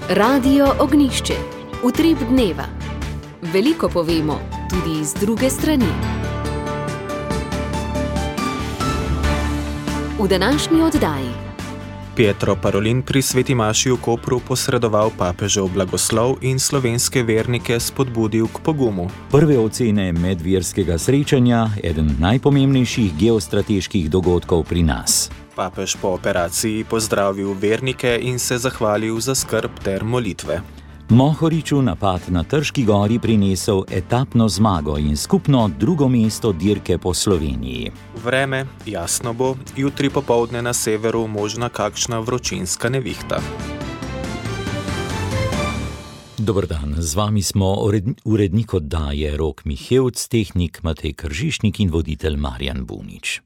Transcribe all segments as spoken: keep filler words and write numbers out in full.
Radio Ognjišče. Utrip dneva. Veliko povemo tudi iz druge strani. V današnji oddaji Pietro Parolin pri sveti maši v Kopru posredoval papežev blagoslov in slovenske vernike spodbudil k pogumu. Prve ocene medverskega srečanja, eden najpomembnejših geostrateških dogodkov pri nas. Papež po operaciji pozdravil vernike in se zahvalil za skrb ter molitve. Mohoriču napad na Trški gori prinesel etapno zmago in skupno drugo mesto dirke po Sloveniji. Vreme jasno bo, jutri popoldne na severu možna kakšna vročinska nevihta. Dober dan, z vami smo urednik oddaje Rok Mihevc, tehnik Matej Kržišnik in voditelj Marjan Bunič.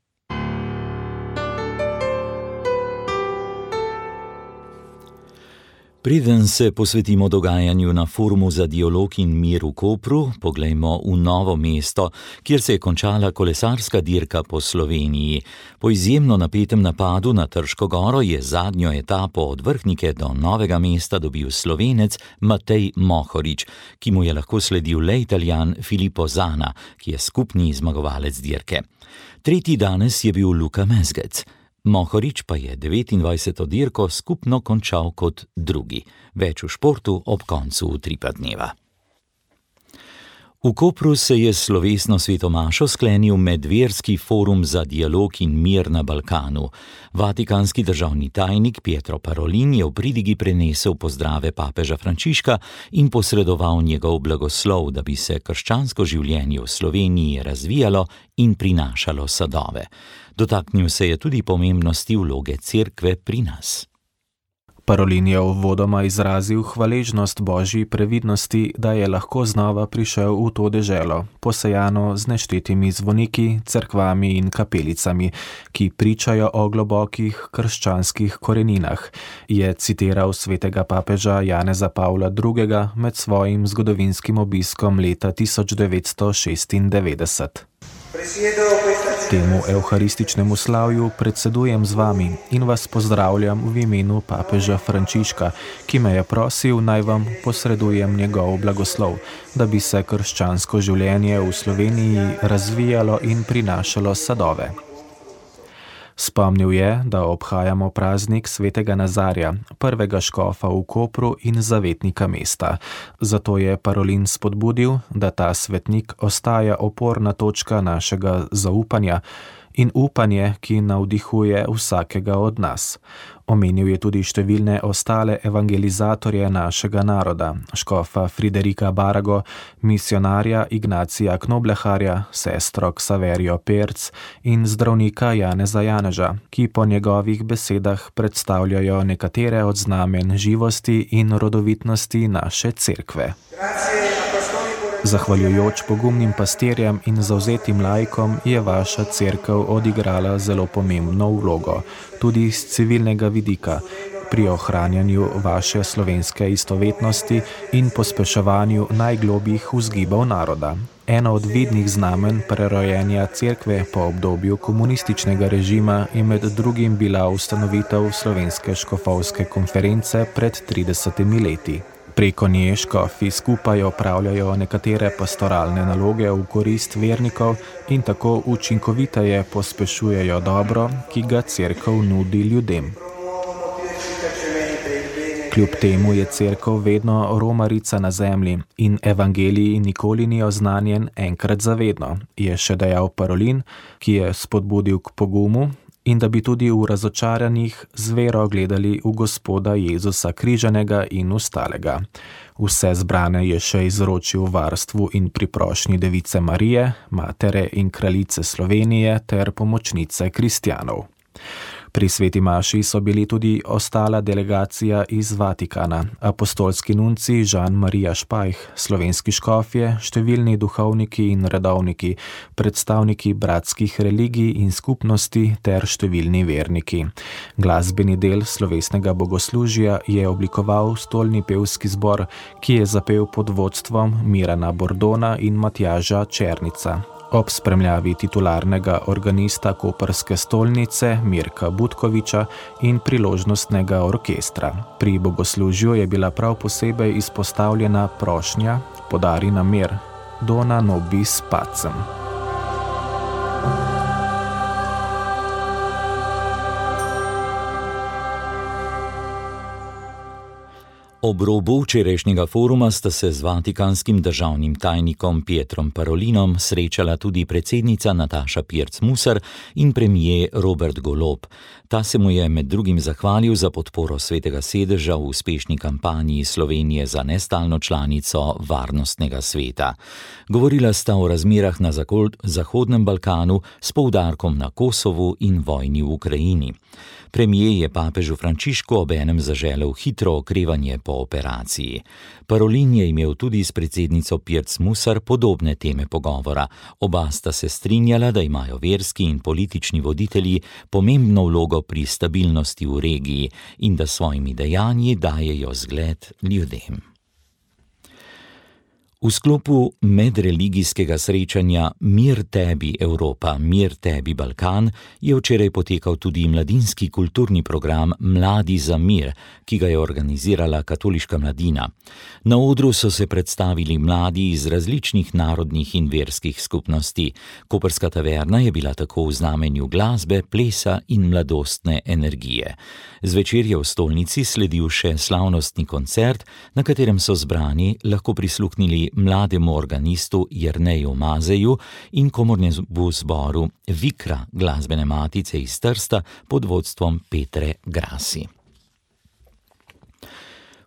Preden se posvetimo dogajanju na Forumu za dialog in mir v Kopru, poglejmo v Novo mesto, kjer se je končala kolesarska dirka po Sloveniji. Po izjemno napetem napadu na Trško goro je zadnjo etapo od Vrhnike do Novega mesta dobil Slovenec Matej Mohorič, ki mu je lahko sledil le Italijan Filippo Zana, ki je skupni zmagovalec dirke. Tretji danes je bil Luka Mezgec. Mohorič pa je devetindvajseto dirko skupno končal kot drugi. Več v športu ob koncu utripa dneva. V Kopru se je slovesno svetomašo sklenil medverski forum za dialog in mir na Balkanu. Vatikanski državni tajnik Pietro Parolin je v pridigi prenesel pozdrave papeža Frančiška in posredoval njegov blagoslov, da bi se krščansko življenje v Sloveniji razvijalo in prinašalo sadove. Dotaknil se je tudi pomembnosti vloge cerkve pri nas. Parolin je uvodoma izrazil hvaležnost Božji previdnosti, da je lahko znova prišel v to deželo, posejano z neštetimi zvoniki, cerkvami in kapelicami, ki pričajo o globokih krščanskih koreninah, je citiral svetega papeža Janeza Pavla drugega med svojim zgodovinskim obiskom leta tisoč devetsto šestindevetdeset. Temu evharističnemu slavju predsedujem z vami in vas pozdravljam v imenu papeža Frančiška, ki me je prosil, naj vam posredujem njegov blagoslov, da bi se krščansko življenje v Sloveniji razvijalo in prinašalo sadove. Spomnil je, da obhajamo praznik svetega Nazarja, prvega škofa v Kopru in zavetnika mesta. Zato je Parolin spodbudil, da ta svetnik ostaja oporna točka našega zaupanja in upanje, ki navdihuje vsakega od nas. Omenil je tudi številne ostale evangelizatorje našega naroda, škofa Friderika Barago, misionarja Ignacija Knobleharja, sestro Ksaverijo Perc in zdravnika Janeza Janeža, ki po njegovih besedah predstavljajo nekatere od znamen živosti in rodovitnosti naše cerkve. Zahvaljujoč pogumnim pastirjem in zavzetim laikom je vaša cerkev odigrala zelo pomembno vlogo, tudi iz civilnega vidika, pri ohranjanju vaše slovenske istovetnosti in pospeševanju najglobjih vzgibov naroda. Eno od vidnih znamen prerojenja cerkve po obdobju komunističnega režima je med drugim bila ustanovitev Slovenske škofovske konference pred tridesetimi leti. Preko nje škofi skupaj opravljajo nekatere pastoralne naloge v korist vernikov in tako učinkoviteje pospešujejo dobro, ki ga cerkev nudi ljudem. Kljub temu je cerkev vedno romarica na zemlji in evangelij nikoli ni oznanjen enkrat zavedno, je še dejal Parolin, ki je spodbudil k pogumu in da bi tudi v razočaranjih z vero gledali v Gospoda Jezusa križanega in ustalega. Vse zbrane je še izročil varstvu in priprošnji Device Marije, matere in kraljice Slovenije ter pomočnice kristjanov. Pri sveti maši so bili tudi ostala delegacija iz Vatikana, apostolski nunci Žan Marija Špajh, slovenski škofje, številni duhovniki in redovniki, predstavniki bratskih religij in skupnosti ter številni verniki. Glasbeni del slovesnega bogoslužja je oblikoval stolni pevski zbor, ki je zapel pod vodstvom Mirana Bordona in Matjaža Černica. ob spremljavi titularnega organista koprske stolnice Mirka Butkoviča in priložnostnega orkestra. Pri bogoslužju je bila prav posebej izpostavljena prošnja Podari nam mir, Dona nobis pacem. Ob robu včerajšnjega foruma sta se z vatikanskim državnim tajnikom Pietrom Parolinom srečala tudi predsednica Nataša Pirc Musar in premijer Robert Golob. Ta se mu je med drugim zahvalil za podporo Svetega sedeža v uspešni kampanji Slovenije za nestalno članico Varnostnega sveta. Govorila sta o razmerah na Zahodnem Balkanu s poudarkom na Kosovu in vojni v Ukrajini. Premijer je papežu Frančišku obenem zaželel hitro okrevanje po operaciji. Parolin je imel tudi s predsednico Pirc Musar podobne teme pogovora. Oba sta se strinjala, da imajo verski in politični voditelji pomembno vlogo pri stabilnosti v regiji in da svojimi dejanji dajejo zgled ljudem. V sklopu medreligijskega srečanja Mir tebi Evropa, mir tebi Balkan je včeraj potekal tudi mladinski kulturni program Mladi za mir, ki ga je organizirala katoliška mladina. Na odru so se predstavili mladi iz različnih narodnih in verskih skupnosti. Koprska taverna je bila tako v znamenju glasbe, plesa in mladostne energije. Zvečer je v stolnici sledil še slavnostni koncert, na katerem so zbrani lahko prisluhnili mlademu organistu Jerneju Mazeju in komornemu zboru Vikra glasbene matice iz Trsta pod vodstvom Petre Grasi.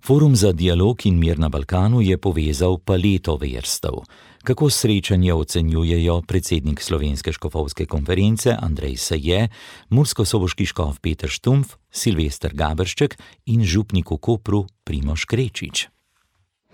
Forum za dialog in mir na Balkanu je povezal paleto verstev. Kako srečanje ocenjujejo predsednik Slovenske škofovske konference Andrej Saje, murskosoboški škof Peter Štumpf, Silvester Gaberšček in župnik v Kopru Primož Krečič.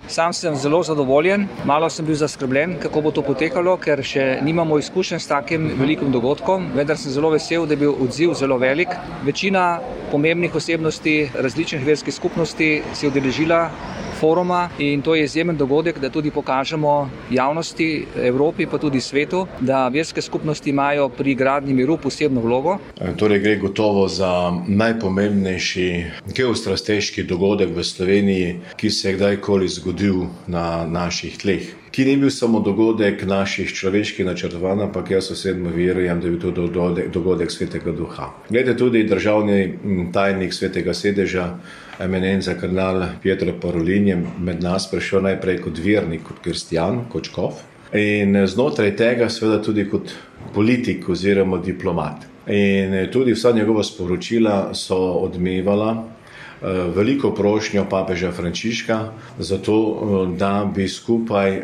Sam sem zelo zadovoljen, malo sem bil zaskrbljen, kako bo to potekalo, ker še nimamo izkušenj s takim velikim dogodkom, vendar sem zelo vesel, da je bil odziv zelo velik. Večina pomembnih osebnosti različnih verskih skupnosti se je udeležila foruma in to je izjemen dogodek, da tudi pokažemo javnosti, Evropi pa tudi svetu, da verske skupnosti imajo pri gradnji miru posebno vlogo. Torej gre gotovo za najpomembnejši geostrateški dogodek v Sloveniji, ki se je kdajkoli zgodil na naših tleh. Ki ni bil samo dogodek naših človeških načrtovanj, ampak jaz osebno verujem, da je bil to dogodek, dogodek Svetega Duha. Glede tudi državni tajnik Svetega sedeža, eminenca kardinal Pietro Parolin je med nas prišel najprej kot vernik, kot kristjan, kot škof in znotraj tega seveda tudi kot politik oziroma diplomat. In tudi vsa njegova sporočila so odmevala veliko prošnjo papeža Frančiška za to, da bi skupaj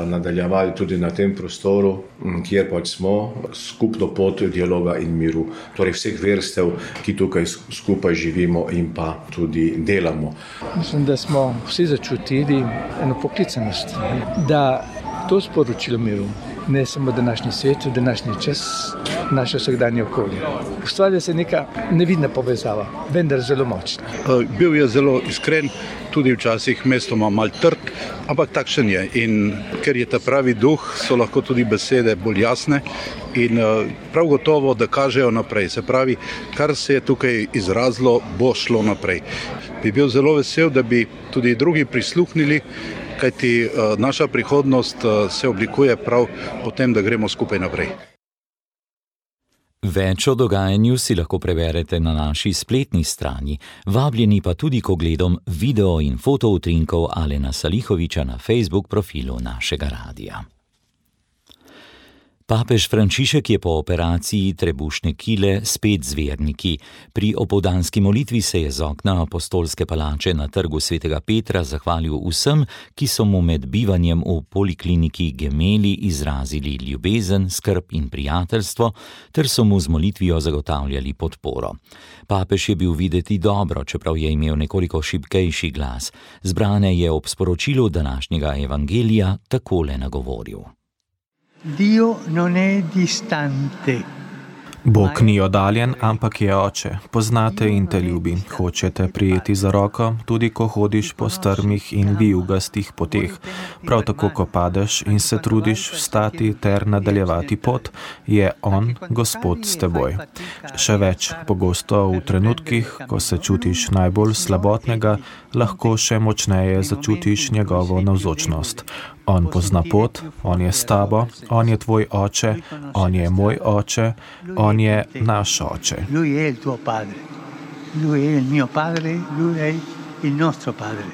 nadaljevali tudi na tem prostoru, kjer pač smo, skupno pot dialoga in miru, torej vseh verstev, ki tukaj skupaj živimo in pa tudi delamo. Mislim, da smo vsi začutili eno poklicanost, da to sporočilo miru, ne samo današnji svet, današnji čas, naše vsakdanje okolje. Ustvarja se neka nevidna povezava, vendar zelo močna. Bil je zelo iskren, tudi včasih mestoma mal trd, ampak takšen je. In ker je ta pravi duh, so lahko tudi besede bolj jasne in prav gotovo, da kažejo naprej. Se pravi, kar se je tukaj izrazilo, bo šlo naprej. Bi bil zelo vesel, da bi tudi drugi prisluhnili, kajti naša prihodnost se oblikuje prav po tem, da gremo skupaj naprej. Več o dogajanju si lahko preberete na naši spletni strani, vabljeni pa tudi k ogledom video in fotoutrinkov Alena Salihoviča na Facebook profilu našega radia. Papež Frančišek je po operaciji trebušne kile spet z verniki. Pri opoldanski molitvi se je z okna apostolske palače na trgu Svetega Petra zahvalil vsem, ki so mu med bivanjem v polikliniki Gemeli izrazili ljubezen, skrb in prijateljstvo, ter so mu z molitvijo zagotavljali podporo. Papež je bil videti dobro, čeprav je imel nekoliko šibkejši glas. Zbrane je ob sporočilu današnjega evangelija takole nagovoril. Dio non è distante. Bog ni oddaljen, ampak je oče. Poznate in te ljubi. Hočete prijeti za roko, tudi ko hodiš po strmih in vijugastih poteh. Prav tako, ko padeš in se trudiš vstati ter nadaljevati pot, je on, Gospod, s teboj. Še več, pogosto v trenutkih, ko se čutiš najbolj slabotnega, lahko še močneje začutiš njegovo navzočnost. On pozna pot, on je s tabo, on je tvoj oče, on je moj oče, on je naš oče. Lui è il tuo padre. Lui è il mio padre, lui è il nostro padre.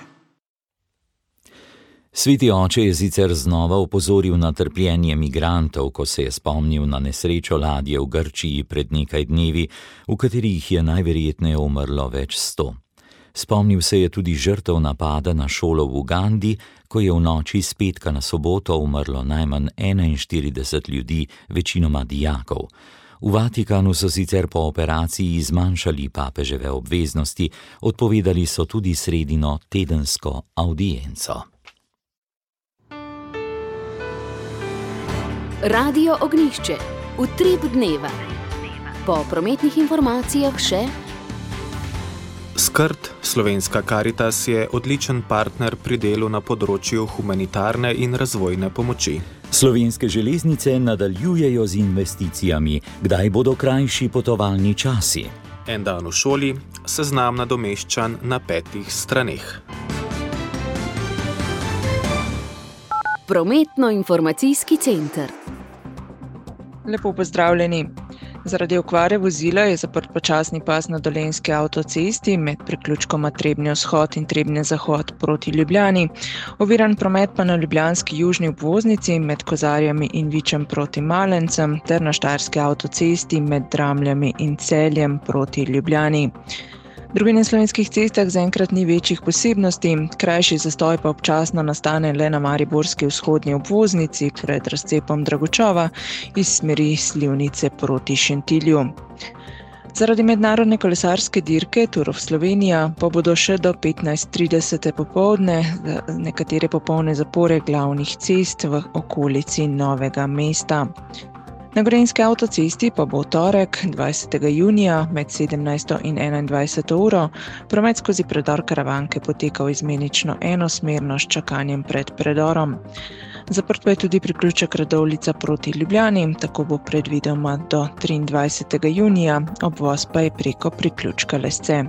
Sveti oče je sicer znova opozoril na trpljenje migrantov, ko se je spomnil na nesrečo ladje v Grčiji pred nekaj dnevi, v katerih je najverjetneje umrlo več sto. Spomnil se je tudi žrtev napada na šolo v Ugandi, ko je v noči s petka na soboto umrlo najmanj enainštirideset ljudi, večinoma dijakov. V Vatikanu so sicer po operaciji zmanjšali papeževe obveznosti, odpovedali so tudi sredino tedensko avdienco. Radio Ognjišče, utrip dneva. Po prometnih informacijah še Skrt, Slovenska Karitas, je odličen partner pri delu na področju humanitarne in razvojne pomoči. Slovenske železnice nadaljujejo z investicijami. Kdaj bodo krajši potovalni časi? En dan v šoli, seznam nadomeščan na petih straneh. Prometno-informacijski center. Lepo pozdravljeni. Zaradi okvare vozila je zaprt počasni pas na dolenjski avtocesti med priključkoma Trebnje vzhod in Trebnje zahod proti Ljubljani. Oviran promet pa na ljubljanski južni obvoznici med Kozarjami in Vičem proti Malencem ter na štajerski avtocesti med Dramljami in Celjem proti Ljubljani. Drugi na slovenskih cestah zaenkrat ni večjih posebnosti, krajši zastoj pa občasno nastane le na mariborski vzhodni obvoznici pred razcepom Dragočova iz smeri Slivnice proti Šentilju. Zaradi mednarodne kolesarske dirke Tour of Slovenija pa bodo še do petnajst trideset popoldne nekatere popolne zapore glavnih cest v okolici Novega mesta. Na Gorenjski avtocesti pa bo v torek, dvajsetega junija, med sedemnajsto in enaindvajseto uro, promet skozi predor Karavanke potekal izmenično enosmerno s čakanjem pred predorom. Zaprt pa je tudi priključek Radovljica proti Ljubljani, tako bo predvidoma do triindvajsetega junija, obvoz pa je preko priključka Lesce.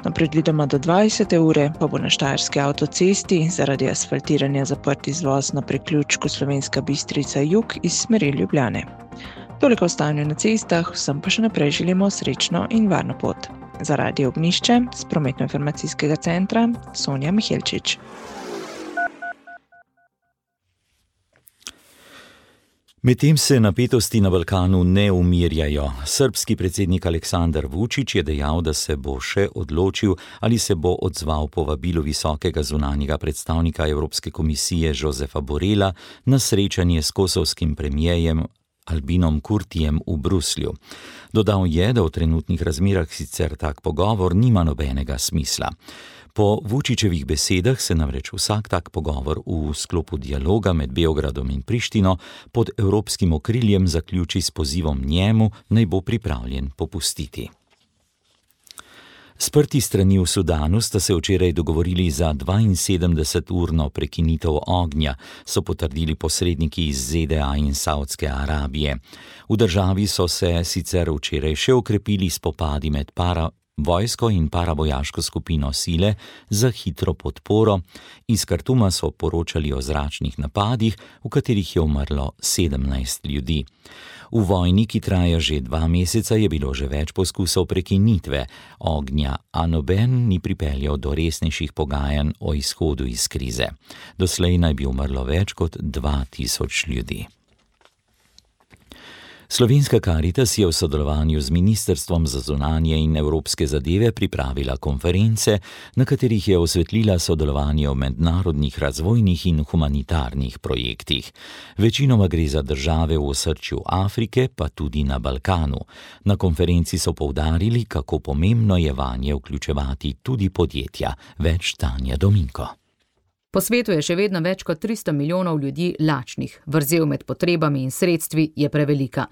No, predvidoma do dvajsete ure pa bo na štajerski avtocesti zaradi asfaltiranja zaprt izvoz na priključku Slovenska Bistrica jug iz smeri Ljubljane. Toliko o stanju na cestah, vsem pa še naprej želimo srečno in varno pot. Za Radio Ognjišče s prometno-informacijskega centra Sonja Mihelčič. Medtem se napetosti na Balkanu ne umirjajo. Srbski predsednik Aleksandar Vučić je dejal, da se bo še odločil, ali se bo odzval povabilu visokega zunanjega predstavnika Evropske komisije Josefa Borrella na srečanje s kosovskim premijejem Albinom Kurtijem v Bruslju. Dodal je, da v trenutnih razmerah sicer tak pogovor nima nobenega smisla. Po Vučićevih besedah se namreč vsak tak pogovor v sklopu dialoga med Beogradom in Prištino pod evropskim okriljem zaključi s pozivom njemu, naj bo pripravljen popustiti. Sprti strani v Sudanu sta se včeraj dogovorili za dvainsedemdeseturno prekinitev ognja, so potrdili posredniki iz Z D A in Saudske Arabije. V državi so se sicer včeraj še okrepili spopadi med para vojsko in paravojaško skupino sile za hitro podporo. Iz Kartuma so poročali o zračnih napadih, v katerih je umrlo sedemnajst ljudi. V vojni, ki traja že dva meseca, je bilo že več poskusov prekinitve ognja, a noben ni pripeljal do resnejših pogajanj o izhodu iz krize. Doslej naj bi umrlo več kot dva tisoč ljudi. Slovenska Karitas je v sodelovanju z Ministrstvom za zunanje in evropske zadeve pripravila konference, na katerih je osvetlila sodelovanje v mednarodnih razvojnih in humanitarnih projektih. Večinoma gre za države v osrčju Afrike, pa tudi na Balkanu. Na konferenci so poudarili, kako pomembno je vanje vključevati tudi podjetja. Več Tanja Dominko. Po svetu je še vedno več kot tristo milijonov ljudi lačnih. Vrzel med potrebami in sredstvi je prevelika.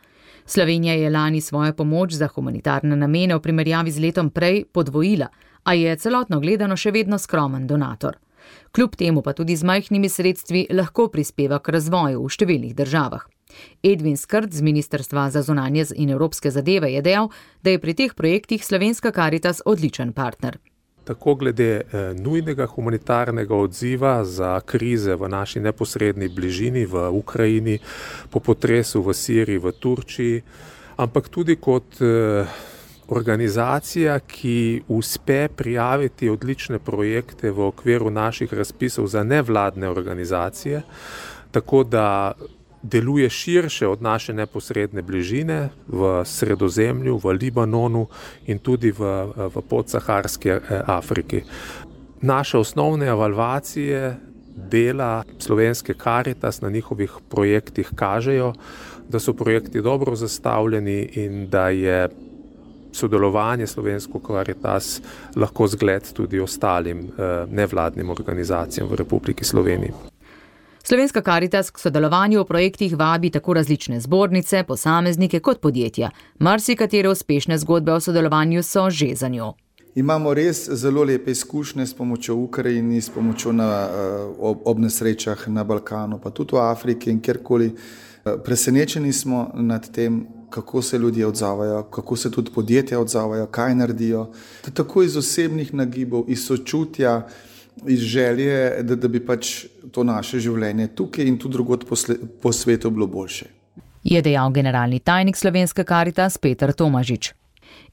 Slovenija je lani svojo pomoč za humanitarne namene v primerjavi z letom prej podvojila, a je celotno gledano še vedno skromen donator. Kljub temu pa tudi z majhnimi sredstvi lahko prispeva k razvoju v številnih državah. Edvin Skrt z Ministrstva za zunanje in evropske zadeve je dejal, da je pri teh projektih Slovenska Karitas odličen partner. Tako glede nujnega humanitarnega odziva za krize v naši neposredni bližini, v Ukrajini, po potresu v Siriji, v Turčiji, ampak tudi kot organizacija, ki uspe prijaviti odlične projekte v okviru naših razpisov za nevladne organizacije, tako da deluje širše od naše neposredne bližine v Sredozemlju, v Libanonu in tudi v, v podsaharski Afriki. Naše osnovne evalvacije dela Slovenske Karitas na njihovih projektih kažejo, da so projekti dobro zastavljeni in da je sodelovanje Slovensko Karitas lahko zgled tudi ostalim nevladnim organizacijam v Republiki Sloveniji. Slovenska Karitas k sodelovanju v projektih vabi tako različne zbornice, posameznike kot podjetja. Marsikatere uspešne zgodbe o sodelovanju so že za njo. Imamo res zelo lepe izkušnje s pomočjo Ukrajini, s pomočjo na, ob, ob nesrečah na Balkanu, pa tudi v Afriki in kjerkoli. Presenečeni smo nad tem, kako se ljudje odzavajo, kako se tudi podjetja odzavajo, kaj naredijo. Tako iz osebnih nagibov, iz sočutja, iz želje, da, da bi pač to naše življenje tukaj in tudi drugod po, po svetu bilo boljše. Je dejal generalni tajnik Slovenske Karitas Peter Tomažič.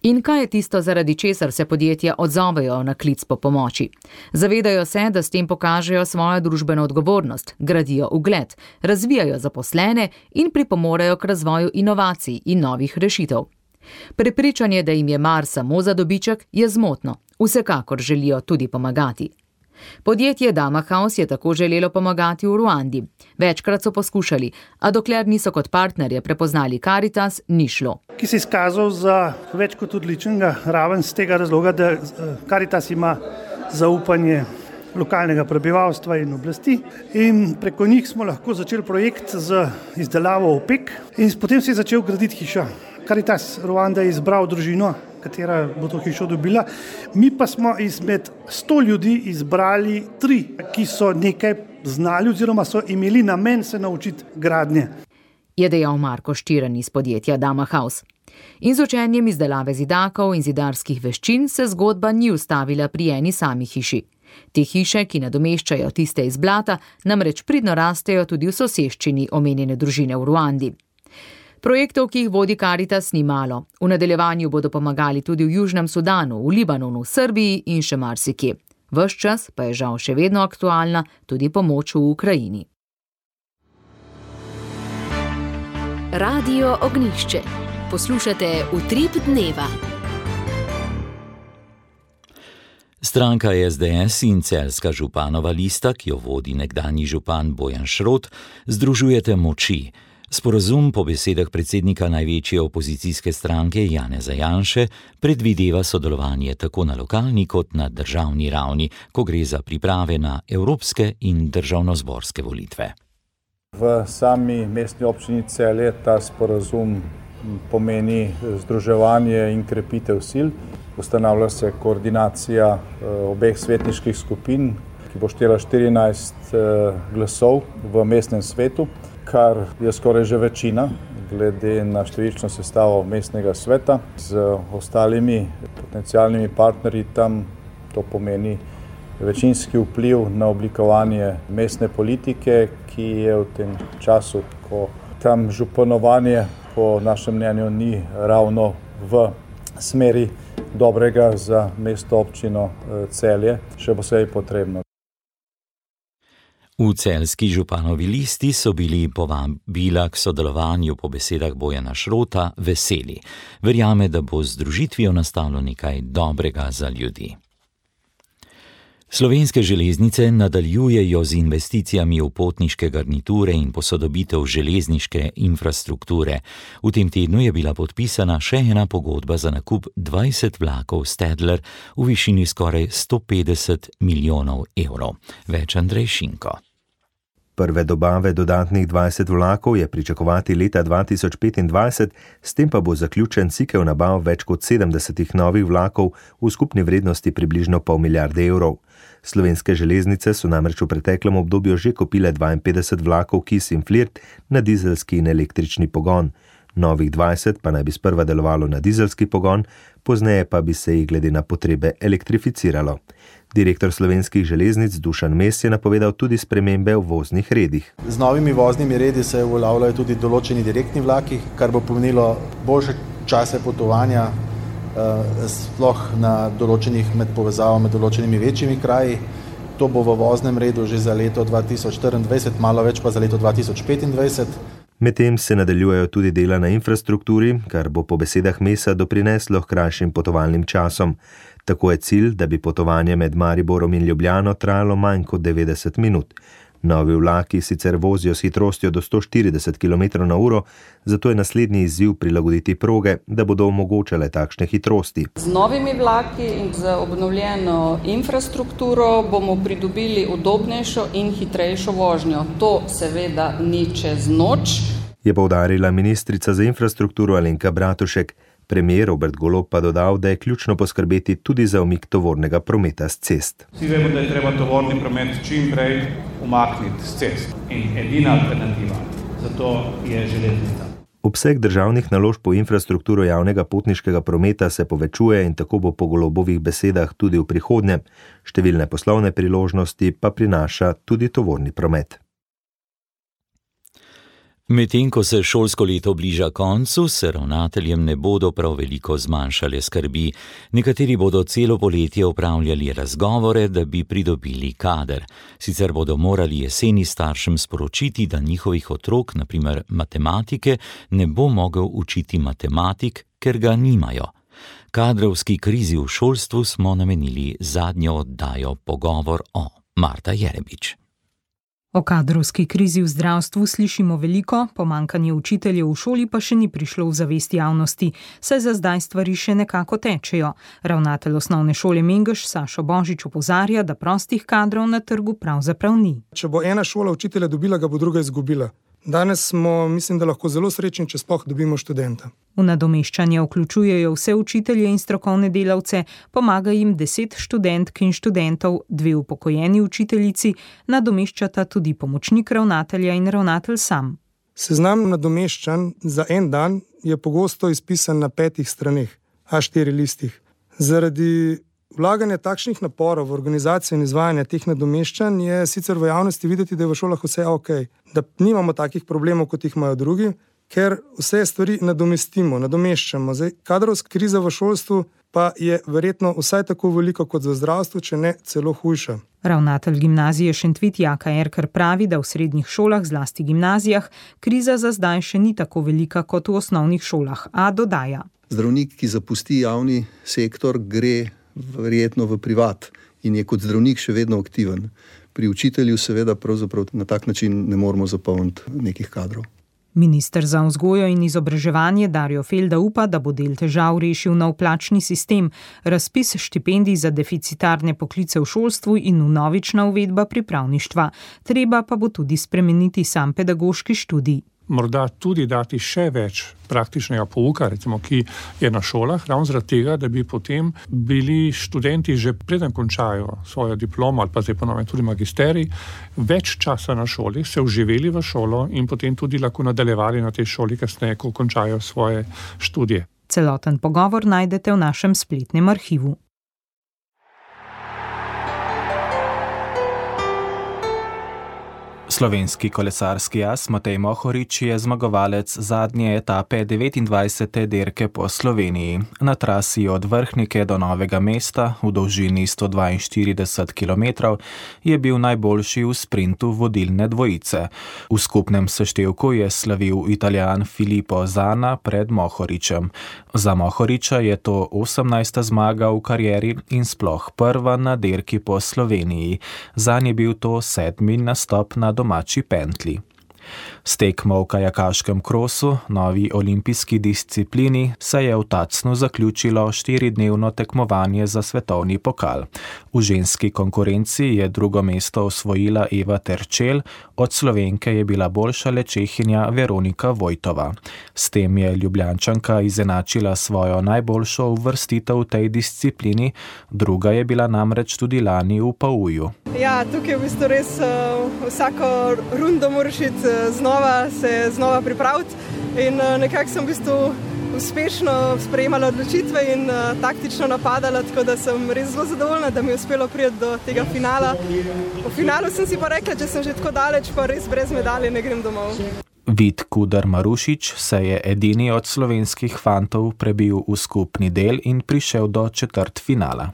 In kaj je tisto, zaradi česar se podjetja odzovejo na klic po pomoči? Zavedajo se, da s tem pokažejo svojo družbeno odgovornost, gradijo ugled, razvijajo zaposlene in pripomorejo k razvoju inovacij in novih rešitev. Prepričanje, da jim je mar samo za dobiček, je zmotno. Vsekakor želijo tudi pomagati. Podjetje Dama House je tako želelo pomagati v Ruandi. Večkrat so poskušali, a dokler niso kot partnerje prepoznali Karitas, ni šlo. Ki se je izkazal za več kot odličnega, raven z tega razloga, da Karitas ima zaupanje lokalnega prebivalstva in oblasti in preko njih smo lahko začeli projekt z izdelavo opek in potem se je začel graditi hiša. Karitas Ruanda je izbral družino, katera bo to hišo dobila. Mi pa smo izmed sto ljudi izbrali tri, ki so nekaj znali oziroma so imeli namen se naučiti gradnje. Je dejal Marko Štiran iz podjetja Dama House. In z učenjem izdelave zidakov in zidarskih veščin se zgodba ni ustavila pri eni sami hiši. Te hiše, ki nadomeščajo tiste iz blata, namreč pridno rastejo tudi v soseščini omenjene družine v Ruandi. Projektov, ki jih vodi Karitas, ni malo. V nadaljevanju bodo pomagali tudi v Južnem Sudanu, v Libanonu, v Srbiji in še marsikje. Ves čas pa je žal še vedno aktualna tudi pomoč v Ukrajini. Radio Ognjišče. Poslušate Utrip dneva. Stranka S D S in celjska županova lista, ki jo vodi nekdanji župan Bojan Šrot, združujete moči. Sporazum po besedah predsednika največje opozicijske stranke Janeza Janše predvideva sodelovanje tako na lokalni kot na državni ravni, ko gre za priprave na evropske in državnozborske volitve. V sami mestni občini Celje ta sporazum pomeni združevanje in krepitev sil. Ustanavlja se koordinacija obeh svetniških skupin, ki bo štela štirinajst glasov v mestnem svetu, kar je skoraj že večina, glede na številčno sestavo mestnega sveta. Z ostalimi potencialnimi partnerji tam to pomeni večinski vpliv na oblikovanje mestne politike, ki je v tem času, ko tam županovanje po našem mnenju ni ravno v smeri dobrega za mesto občino Celje, še posebej potrebno. V celjski županovi listi so bili povabila k sodelovanju po besedah Bojana Šrota veseli. Verjame, da bo z združitvijo nastalo nekaj dobrega za ljudi. Slovenske železnice nadaljujejo z investicijami v potniške garniture in posodobitev železniške infrastrukture. V tem tednu je bila podpisana še ena pogodba za nakup dvajset vlakov Stadler v višini skoraj sto petdeset milijonov evrov. Več Andrej Šinko. Prve dobave dodatnih dvajset vlakov je pričakovati leta dva tisoč petindvajset, s tem pa bo zaključen cikel nabav več kot sedemdesetih novih vlakov v skupni vrednosti približno pol milijarde evrov. Slovenske železnice so namreč v preteklem obdobju že kupile dvainpetdeset vlakov Kis in Flirt na dizelski in električni pogon. Novih dvajset pa naj bi sprva delovalo na dizelski pogon, pozneje pa bi se jih glede na potrebe elektrificiralo. Direktor Slovenskih železnic Dušan Mes je napovedal tudi spremembe v voznih redih. Z novimi voznimi redi se uveljavljajo tudi določeni direktni vlaki, kar bo pomenilo boljše čase potovanja, sploh na določenih med povezavami, med določenimi večjimi kraji. To bo v voznem redu že za leto dva tisoč štiriindvajset, malo več pa za leto dva tisoč petindvajset. Medtem se nadaljujejo tudi dela na infrastrukturi, kar bo po besedah Mesa doprineslo k krajšim potovalnim časom. Tako je cilj, da bi potovanje med Mariborom in Ljubljano trajalo manj kot devetdeset minut. Novi vlaki sicer vozijo s hitrostjo do sto štirideset kilometrov na uro, zato je naslednji izziv prilagoditi proge, da bodo omogočale takšne hitrosti. Z novimi vlaki in z obnovljeno infrastrukturo bomo pridobili udobnejšo in hitrejšo vožnjo. To seveda ni čez noč, je poudarila ministrica za infrastrukturo Alenka Bratušek. Premier Robert Golob pa dodal, da je ključno poskrbeti tudi za umik tovornega prometa s cest. Vsi vemo, da je treba tovorni promet čim prej umakniti s cest in edina alternativa za to je železnica. Obseg državnih naložb v infrastrukturo javnega potniškega prometa se povečuje in tako bo po Golobovih besedah tudi v prihodnje. Številne poslovne priložnosti pa prinaša tudi tovorni promet. Medtem ko se šolsko leto bliža koncu, se ravnateljem ne bodo prav veliko zmanjšale skrbi. Nekateri bodo celo poletje opravljali razgovore, da bi pridobili kader. Sicer bodo morali jeseni staršem sporočiti, da njihovih otrok, na primer matematike, ne bo mogel učiti matematik, ker ga nimajo. Kadrovski krizi v šolstvu smo namenili zadnjo oddajo Pogovor o. Marta Jerebič. O kadrovski krizi v zdravstvu slišimo veliko, pomanjkanje učiteljev v šoli pa še ni prišlo v zavest javnosti, saj za zdaj stvari še nekako tečejo. Ravnatelj osnovne šole Mengeš Sašo Božič opozarja, da prostih kadrov na trgu pravzaprav ni. Če bo ena šola učitelja dobila, ga bo druga izgubila. Danes smo, mislim, da lahko zelo srečni, če sploh dobimo študenta. V nadomeščanje vključujejo vse učitelje in strokovne delavce, pomaga jim deset študentk in študentov, dve upokojeni učiteljici, nadomeščata tudi pomočnik ravnatelja in ravnatelj sam. Seznam nadomeščanj za en dan je pogosto izpisan na petih straneh, A štiri listih. Zaradi vlaganje takšnih naporov v organizacijo in izvajanje teh nadomeščanj je sicer v javnosti videti, da je v šolah vse ok, da nimamo takih problemov, kot jih imajo drugi, ker vse stvari nadomestimo, nadomeščamo. Zdaj, kadrovska kriza v šolstvu pa je verjetno vsaj tako veliko kot v zdravstvu, če ne celo hujša. Ravnatelj gimnazije Šentvit Jaka Erkar pravi, da v srednjih šolah, zlasti gimnazijah, kriza za zdaj še ni tako velika kot v osnovnih šolah, a dodaja. Zdravnik, ki zapusti javni sektor, gre verjetno v privat in je kot zdravnik še vedno aktiven. Pri učitelju seveda pravzaprav na tak način ne moremo zapolniti nekih kadrov. Minister za vzgojo in izobraževanje Darjo Felda upa, da bo del težav rešil nov plačni sistem, razpis štipendij za deficitarne poklice v šolstvu in vnovična uvedba pripravništva. Treba pa bo tudi spremeniti sam pedagoški študij. Morda tudi dati še več praktičnega pouka, recimo, ki je na šolah, ravno zaradi tega, da bi potem bili študenti že preden končajo svojo diplomo ali pa zdaj ponovno tudi magisterij, več časa na šoli, se vživeli v šolo in potem tudi lahko nadaljevali na tej šoli kasneje, ko končajo svoje študije. Celoten pogovor najdete v našem spletnem arhivu. Slovenski kolesarski as Matej Mohorič je zmagovalec zadnje etape devetindvajsete dirke po Sloveniji. Na trasi od Vrhnike do Novega mesta v dolžini sto dvainštirideset kilometrov je bil najboljši v sprintu vodilne dvojice. V skupnem seštevku je slavil Italijan Filippo Zana pred Mohoričem. Za Mohoriča je to osemnajsta zmaga v karieri in sploh prva na dirki po Sloveniji. Zanj je bil to sedmi nastop na domači pentli. S tekmo v kajakaškem krosu, novi olimpijski disciplini, se je v Tacnu zaključilo štiridnevno tekmovanje za svetovni pokal. V ženski konkurenci je drugo mesto osvojila Eva Terčelj, od Slovenke je bila boljša le Čehinja Veronika Vojtova. S tem je Ljubljančanka izenačila svojo najboljšo uvrstitev v tej disciplini, druga je bila namreč tudi lani v Pauju. Ja, tukaj je v bistvu res uh, vsako rundo moraš iti uh, znova, se znova pripraviti in uh, nekako sem v bistvu uspešno sprejemala odločitve in uh, taktično napadala, tako da sem res zelo zadovoljna, da mi je uspelo priti do tega finala. V finalu sem si pa rekla, če sem že tako daleč, pa res brez medalje ne grem domov. Vid Kudar Marušič se je edini od slovenskih fantov prebil v skupni del in prišel do četrtfinala.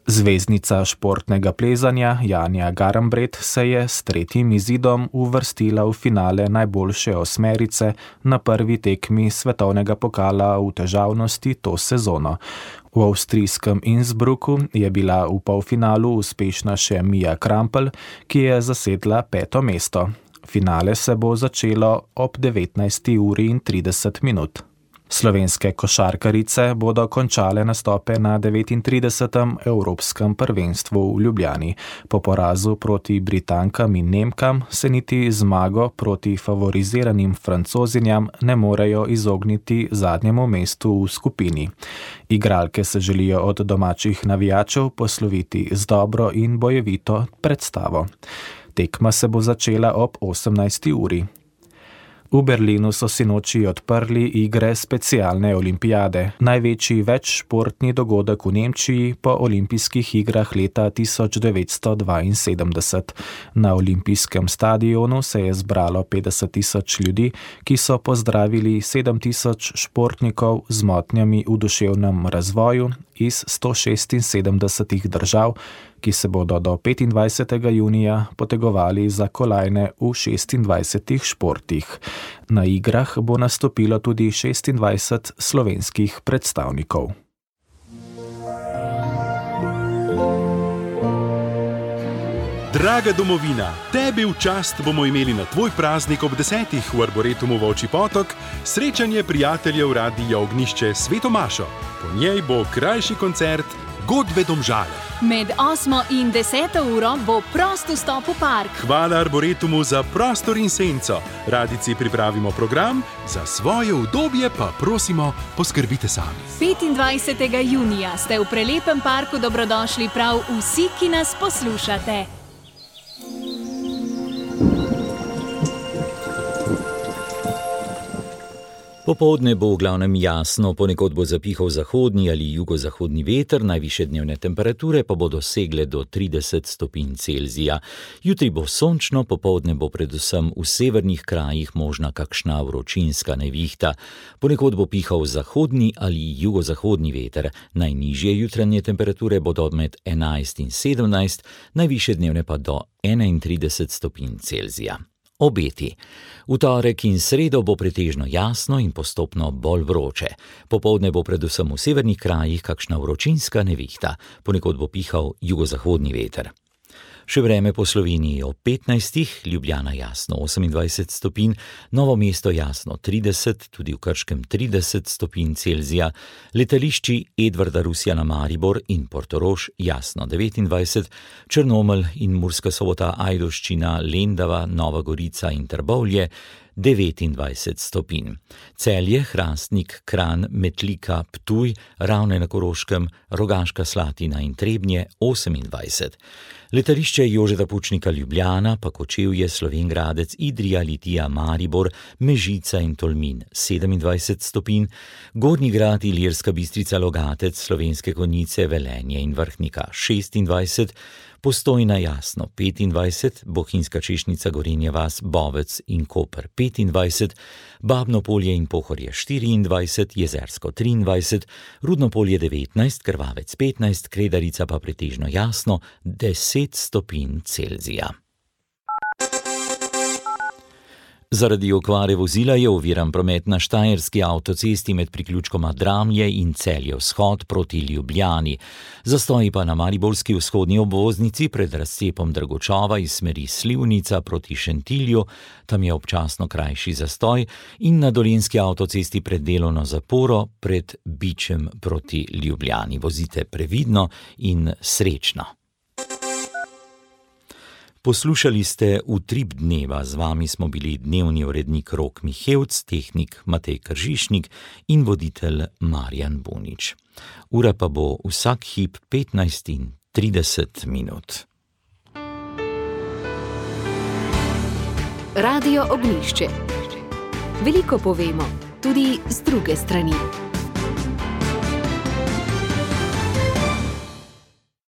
Zvezdnica športnega plezanja Janja Garambret se je s tretjim izidom uvrstila v finale najboljše osmerice na prvi tekmi svetovnega pokala v težavnosti to sezono. V avstrijskem Innsbrucku je bila v polfinalu uspešna še Mija Krampelj, ki je zasedla peto mesto. Finale se bo začelo ob devetnajsti uri in trideset minut. Slovenske košarkarice bodo končale nastope na devetintridesetem Evropskem prvenstvu v Ljubljani. Po porazu proti Britankam in Nemkam se niti zmago proti favoriziranim Francozinjam ne morejo izogniti zadnjemu mestu v skupini. Igralke se želijo od domačih navijačev posloviti z dobro in bojevito predstavo. Tekma se bo začela ob osemnajsti uri. V Berlinu so sinoči odprli igre specialne olimpijade, največji večšportni dogodek v Nemčiji po olimpijskih igrah leta tisoč devetsto dvainsedemdeset. Na olimpijskem stadionu se je zbralo petdeset tisoč ljudi, ki so pozdravili sedem tisoč športnikov z motnjami v duševnem razvoju iz sto šestinsedemdesetih držav, ki se bodo do petindvajsetega junija potegovali za kolajne v šestindvajsetih športih. Na igrah bo nastopilo tudi šestindvajset slovenskih predstavnikov. Draga domovina, tebi v čast bomo imeli na tvoj praznik ob desetih v Arboretumu Volčji Potok srečanje prijateljev Radia Ognjišče Sveto Mašo. Po njej bo krajši koncert Godbe Domžale. Med osmo in deseto uro bo prost vstop v park. Hvala Arboretumu za prostor in senco. Radici pripravimo program, za svoje udobje pa prosimo, poskrbite sami. petindvajsetega junija ste v prelepem parku dobrodošli prav vsi, ki nas poslušate. Popoldne bo v glavnem jasno, ponekod bo zapihal zahodni ali jugozahodni veter, najvišje dnevne temperature pa bodo segle do trideset stopinj Celzija. Jutri bo sončno, popoldne bo predvsem v severnih krajih možna kakšna vročinska nevihta. Ponekod bo pihal zahodni ali jugozahodni veter. Najnižje jutranje temperature bodo med enajst in sedemnajst, najvišje dnevne pa do enaintrideset stopinj Celzija. Obeti. V torek in sredo bo pretežno jasno in postopno bolj vroče. Popoldne bo predvsem v severnih krajih kakšna vročinska nevihta, ponekod bo pihal jugozahodni veter. Še vreme po Sloveniji ob petnajstih, Ljubljana jasno osemindvajset stopinj, Novo mesto jasno trideset, tudi v Krškem trideset stopinj Celzija, letališči Edvarda Rusjana Maribor in Portorož jasno devetindvajset, Črnomelj in Murska Sobota, Ajdovščina, Lendava, Nova Gorica in Trbovlje devetindvajset stopinj. Celje, Hrastnik, Kranj, Metlika, Ptuj, Ravne na Koroškem, Rogaška Slatina in Trebnje osemindvajset. Letališče Jožeta Pučnika Ljubljana, pa Kočevje, Slovenj Gradec, Idrija, Litija, Maribor, Mežica in Tolmin sedemindvajset stopinj, Gornji Grad, Ilirska Bistrica, Logatec, Slovenske Konjice, Velenje in Vrhnika šestindvajset, Postojna jasno petindvajset, Bohinjska Češnjica, Gorenja vas, Bovec in Koper petindvajset, Babno Polje in Pohorje štiriindvajset, Jezersko triindvajset, Rudno Polje devetnajst, Krvavec petnajst, Kredarica pa pretežno jasno deset stopinj Celzija. Zaradi okvare vozila je oviran promet na štajerski avtocesti med priključkoma Dramlje in Celje vzhod proti Ljubljani. Zastoji pa na mariborski vzhodni obvoznici pred razcepom Dragočova iz smeri Slivnica proti Šentilju, tam je občasno krajši zastoj, in na dolenjski avtocesti pred delovno zaporo pred Bičem proti Ljubljani. Vozite previdno in srečno. Poslušali ste Utrip dneva, z vami smo bili dnevni urednik Rok Mihevc, tehnik Matej Kržišnik in voditelj Marjan Bunič. Ura pa bo vsak hip petnajst in trideset minut. Radio Ognjišče. Veliko povemo, tudi z druge strani.